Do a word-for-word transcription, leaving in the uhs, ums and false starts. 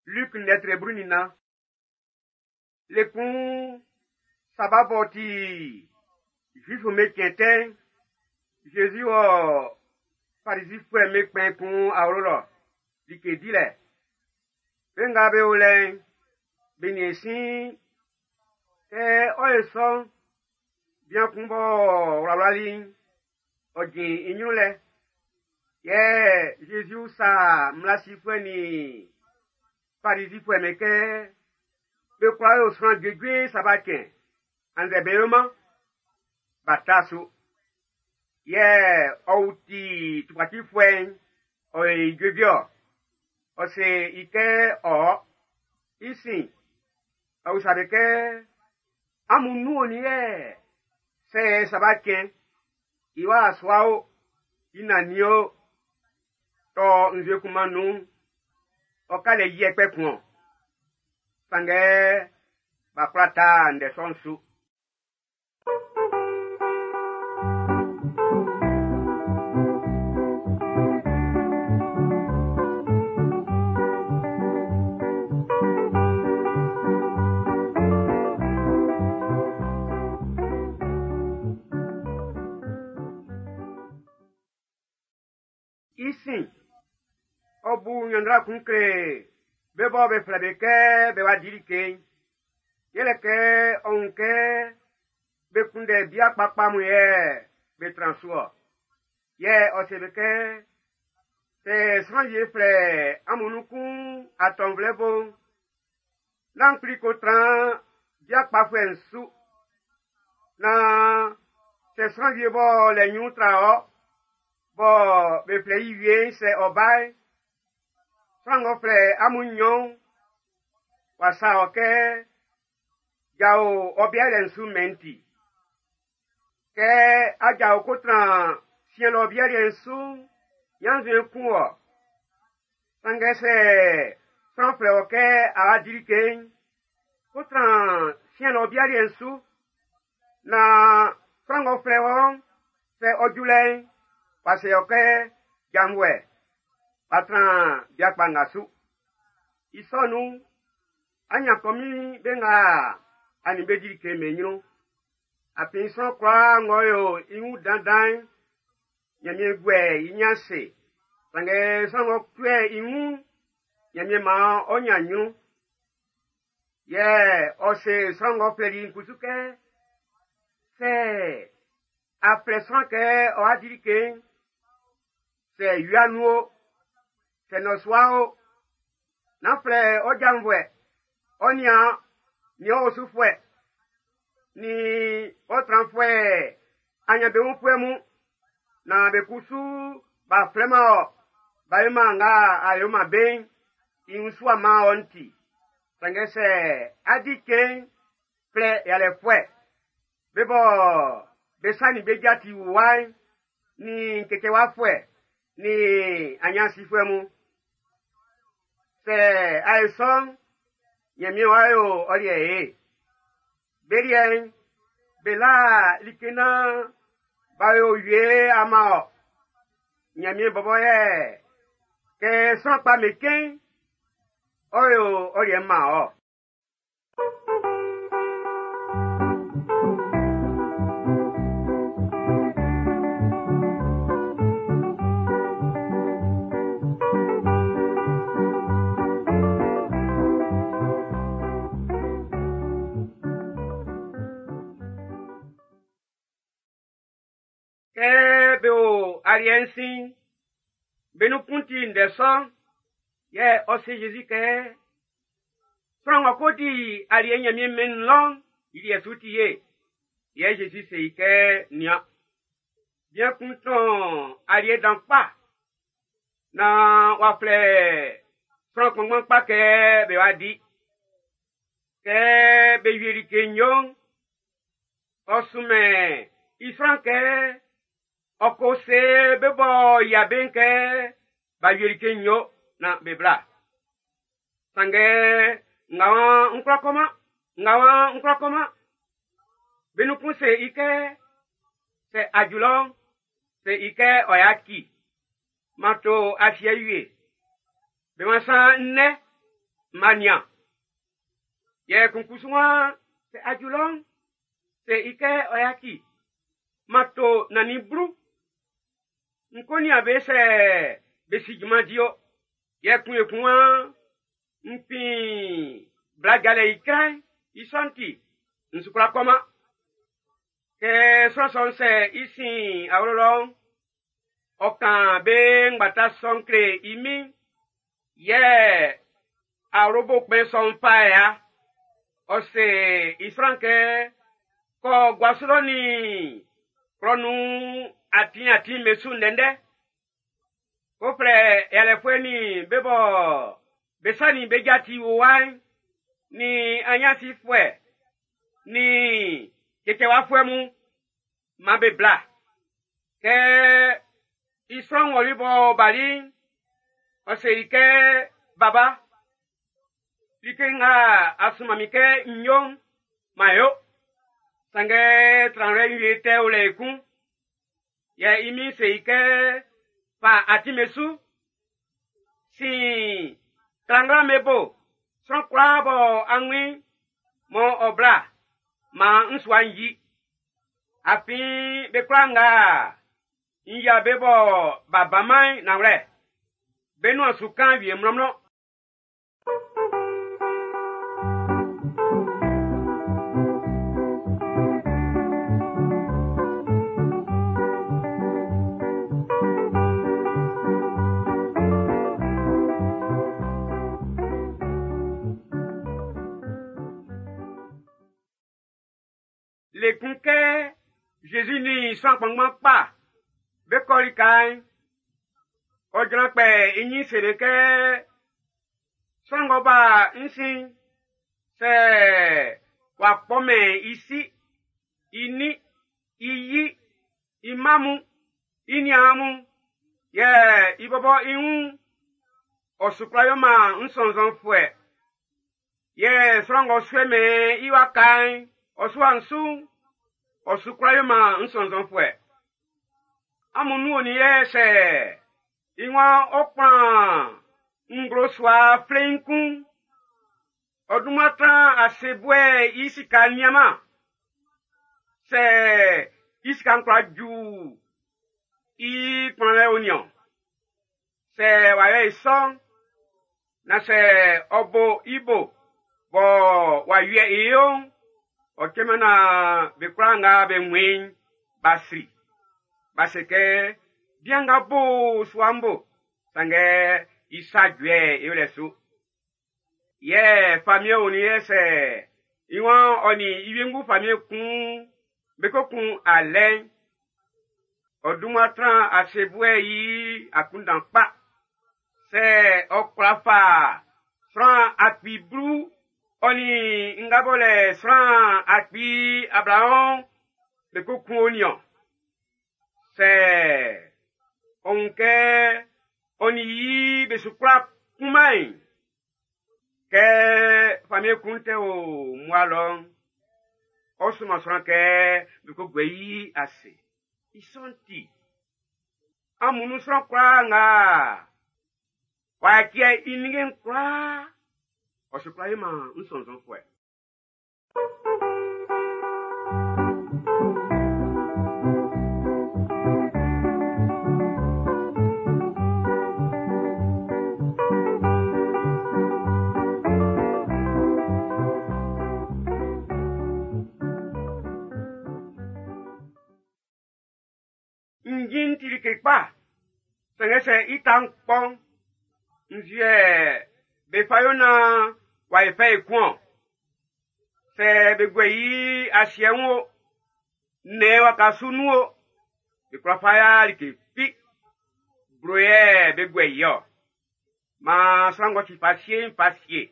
Luc ndɛtre blu nin nnan. Le kun saba b'ɔ ti Zuifu'm be cɛn tɛ'n, Zezi wɔ Farizifuɛ'm be kpɛn kun awlo lɔ like dilɛ. Be nga be o lɛ'n, be nin sin kɛ ɔ ye sɔ'n, bian kun b'ɔ wlawlali'n, ɔ jin i ɲrun lɛ. Yɛ Zezi usa mmla sifuɛ nin Farizifuɛ'm be kɛ be kwla yo sran juejue saba cɛn, annzɛ be yoman. B'a ta su. Yɛ ɔ wuti tukpacifuɛ'n, ɔ yo i juejue-ɔ. Ɔ se i kɛ ɔ. I sin, ɔ usa be kɛ, amun nun onin yɛ sɛ saba cɛn, i wa sua o, i nannin o, tɔ nzue kunman nun'n, ɔ ka lɛ yɛ kpɛkun ɔ. Sanngɛ b'a kwla ta ndɛ sɔ'n su. I sin, ɔ bu ɲanndra kun kle be bɔ be flɛ be kɛ be wa di like'n. Yɛlɛ kɛ ɔ wun kɛ be kunndɛ bia kpakpa mun yɛ be tran su-ɔ. Yɛ ɔ se be kɛ, sɛ sran wie flɛ amun nun kun atɔnvlɛ bo'n, nán kpli ko tran bia kpafuɛ'n su. Nan sɛ sran wie bɔ lɛ ɲrun tra ɔ, bɔ be flɛ i wie'n sɛ ɔ ba'n, sran ng'ɔ flɛ amun nnyɔn'n, w'a sa ɔ kɛ jao ɔ bia liɛ'n su mɛn'n ti. Kɛ a jao ko tran siɛn lɔ bia liɛ'n su'n, ɲannzuɛn kun wɔ. Sanngɛ sɛ sran flɛ wɔ kɛ a wa di like'n, ko tran siɛn lɔ bia liɛ'n su. Na sran ng'ɔ flɛ wɔ'n, sɛ ɔ ju lɛ'n, w'a se ɔ kɛ janvuɛ, w'a tran bia kpa nga su. I sɔ nun'n, a ɲan kɔmin be nga a nin be di like be ɲrun. Afin sran kwlaa ng'ɔ yo i wun dandan'n, Ɲanmiɛn guɛ i ɲin ase. Sanngɛ sran ng'ɔ tuɛ i wun'n, Ɲanmiɛn maan ɔ ɲan ɲrun. Yɛ ɔ se sran ng'ɔ flɛli i'n kusu kɛ, sɛ a flɛ sran kɛ ɔ wa di like'n, sɛ wia nun o, sɛ nnɔsua o, nán flɛ ɔ janvuɛ, ɔ niaan, nin ɔ osufuɛ, nin ɔ tranfuɛ anyanbeunfuɛ mun, na be kusu b'a flɛman ɔ, b'a yoman nga a yoman be'n, i wun su ama ɔ nti. Sanngɛ sɛ a di cɛn'n, flɛ yalɛfuɛ, be bɔ be sa nin be ja ti wuwa'n, nin kɛkɛwafuɛ, nin anyansifuɛ mun. Sɛ a ye sɔ'n, Ɲanmiɛn w'a yo ɔ liɛ ye. Be liɛ'n, be la like naan b'a yo wie ama ɔ. Ɲanmiɛn bɔbɔ yɛ kɛ sran kpa me kɛn, ɔ yo ɔ liɛ ma ɔ. Kɛ be o aliɛ'n sin'n, be nun kun ti ndɛ sɔ'n, yɛ ɔ se Zezi kɛ, sran ng'ɔ ko di aliɛ Ɲanmiɛn mɛn'n nun lɔ'n, i liɛ su ti ye. Yɛ Zezi se i kɛ, nian, bian kun tɔn aliɛ dan kpa, naan w'a flɛ sran kpanngban kpa kɛ be wa di. Kɛ be wie like nyo'n, ɔ sunmɛn i sran kɛ ɔ ko se be bɔ yia be'n kɛ b'a wie like nyo na be bla. Sanngɛ nga waan n kwla kɔman, nga waan n kwla kɔman. Be nun kun se i kɛ, sɛ a ju lɔ'n, se i kɛ ɔ yaci, ma to afiɛ wie. Be ma san nnɛ, Mania. Yɛ kun kusu waan sɛ a ju lɔ'n, se i kɛ ɔ yaci, ma to nannin blu. N ko nian be sɛ be si junman di o. Yɛ kun ekun waan n fin bla jalɛ icra'n, i sɔ'n ti, n su kwla kɔman. Kɛ sran sɔ'n sɛ i sin awlo lɔ'n, ɔ kan be ngbata sɔ'n kle i min, yɛ awlobo kpɛn sɔ'n fa ya. Ɔ se i sran kɛ kɔ guasu lɔ nin klɔ nun atin atin be su ndɛndɛ. Ko flɛ yalɛfuɛ nin be bɔ be sa nin be ja ti wuwa'n, nin anyansifuɛ, nin cɛcɛwafuɛ mun, man be bla. Kɛ i sran ng'ɔ li bɔ bali'n, ɔ se i kɛ baba, like nga a sunman min kɛ n yo'n, man yo. Sanngɛ tranwlɛ wie tɛ o lɛ ekun. Yɛ i min se i kɛ fa atin be su. Sin klanglan be bo, sran kwlaa bɔ anwin mɔ ɔ bla, man n sua'n yi. Afin be kwlaa nga n yia be bɔ b'a baman'n nanwlɛ, be nuan su kan wie mlɔnmlɔn. Le kun kɛ Jésus ni sran kpanngban kpa be kɔ lika'n, ɔ jran kpɛ i ɲin se be kɛ sran ng'ɔ ba n sin, sɛ w'a kpɔmɛn i si, i nin, i yi, i mma mun, i niaan mun, yɛ i bɔbɔ i wun, ɔ su kwla yoman n sɔnnzɔnfuɛ. Yɛ sran ng'ɔ suɛmɛn i waka'n, ɔ sua'n su'n, ɔ su kwla yoman n sɔnnzɔnfuɛ. Amun nun onin yɛ sɛ i waan ɔ kplan nglo sua fleiin kun, ɔ dunman tran ase buɛ i sika nianman. Sɛ i sika'n kwla ju i kplanlɛ o niɔn. Sɛ w'a yɛ i sɔ'n, na sɛ ɔ bo i bo bɔ w'a wie i yo'n, ɔ cɛman na be kwlaa nga be wun b'a sri. B'a se kɛ bian nga bo sua'n bo, sanngɛ i sa juɛ i wlɛ su. Yɛ famiɛn onin yɛ sɛ i waan ɔ nin i wiengu famiɛn kun be ko kun alɛ'n, ɔ dunman tran ase buɛ i akunndan kpa. Sɛ ɔ kwla fa sran akpi blu ɔ nin nga bɔ lɛ sran akpi ablaɔn be ko kun o niɔn. Sɛ ɔ wun kɛ ɔ nin yi be su kwla kunman'n, kɛ famiɛn kun tɛ o mmua lɔ'n, ɔ sunman sran kɛ be ko guɛ i ase. I sɔ'n ti, amun nun sran kwlaa nga w'a tiɛ i ninnge'n kwlaa, ɔ su kwla yoman n sɔnnzɔnfuɛ. Njin ti like kpa, sanngɛ sɛ i ta'n kpɔ'n, nzue be fa yo naan w'a yi fɛ ekun-ɔn. Sɛ be guɛ i asiɛ wun o, nnɛn waka su nun o, be kwla fa ya like fi. Blo yɛ be guɛ i-ɔ. Maan sran ng'ɔ si fa sie'n fa sie.